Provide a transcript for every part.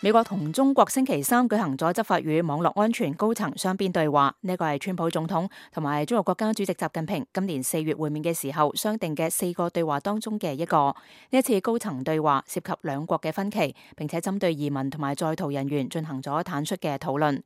美國同中國星期三舉行咗執法與網絡安全高層雙邊對話，呢個係川普總統同埋中國國家主席習近平今年4月會面嘅時候商定嘅4個對話當中嘅一個。呢一次高層對話涉及兩國嘅分歧，並且針對移民同埋在逃人員進行咗坦率嘅討論。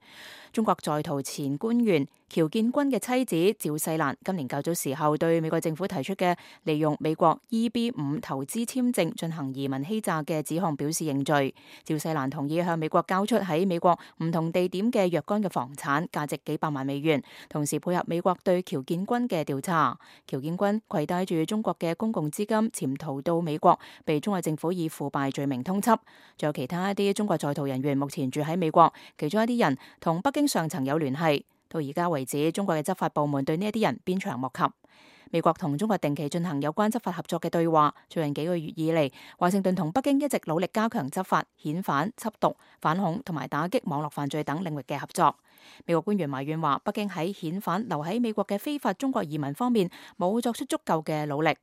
中國在逃前官員喬建軍嘅妻子趙世蘭今年較早時候對美國政府提出嘅利用美國 EB-5 投資簽證進行移民欺詐嘅指控表示認罪。趙世蘭同意向美國交出喺美國唔同地點嘅若干嘅房產，價值幾百萬美元，同時配合美國對喬建軍嘅調查。喬建軍攜帶住中國嘅公共資金潛逃到美國，被中國政府以腐敗罪名通緝。仲有其他一啲中國在逃人員目前住喺美國，其中一啲人同北京上層有聯繫。到而家為止，中國嘅執法部門對呢一啲人鞭長莫及。美國同中國定期進行有關執法合作嘅對話。最近幾個月以嚟，華盛頓同北京一直努力加強執法、遣返、緝毒、反恐同埋打擊網絡犯罪等領域嘅合作。美國官員埋怨話，北京喺遣返留喺美國嘅非法中國移民方面冇作出足夠嘅努力。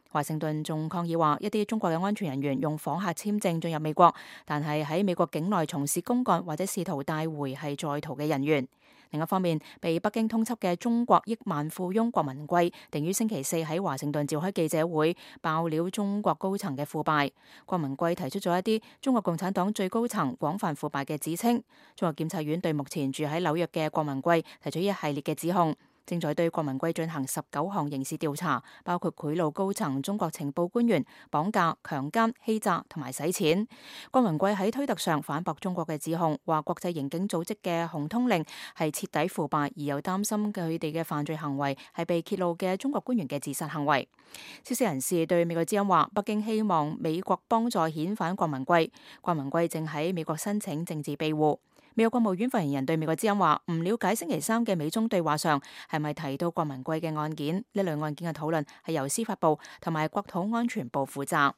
華盛頓仲抗議話，一啲中國嘅安全人員用訪客簽證進入美國，但係喺美國境內從事公幹或者試圖帶回係在逃嘅人員。另一方面，被北京通緝嘅中國億萬富翁郭文貴定於星期四喺華盛頓召開記者會，爆料中國高層嘅腐敗。郭文貴提出咗一啲中國共產黨最高層廣泛腐敗嘅指稱。中國檢察院對目前住喺紐約嘅郭文貴提出一系列嘅指控，正在對郭文貴進行19項刑事調查，包括賄賂高層中國情報官員、綁架、強姦、欺詐同埋洗錢。郭文貴喺推特上反駁中國嘅指控，話國際刑警組織嘅紅通令係徹底腐敗，而又擔心佢哋嘅犯罪行為係被揭露嘅中國官員嘅自殺行為。消息人士對美國之音話，北京希望美國幫助遣返郭文貴，郭文貴正喺美國申請政治庇護。美國國務院發言人對美國之音話，唔了解星期三嘅美中對話上係咪提到郭文貴嘅案件，呢類案件嘅討論係由司法部同埋國土安全部負責。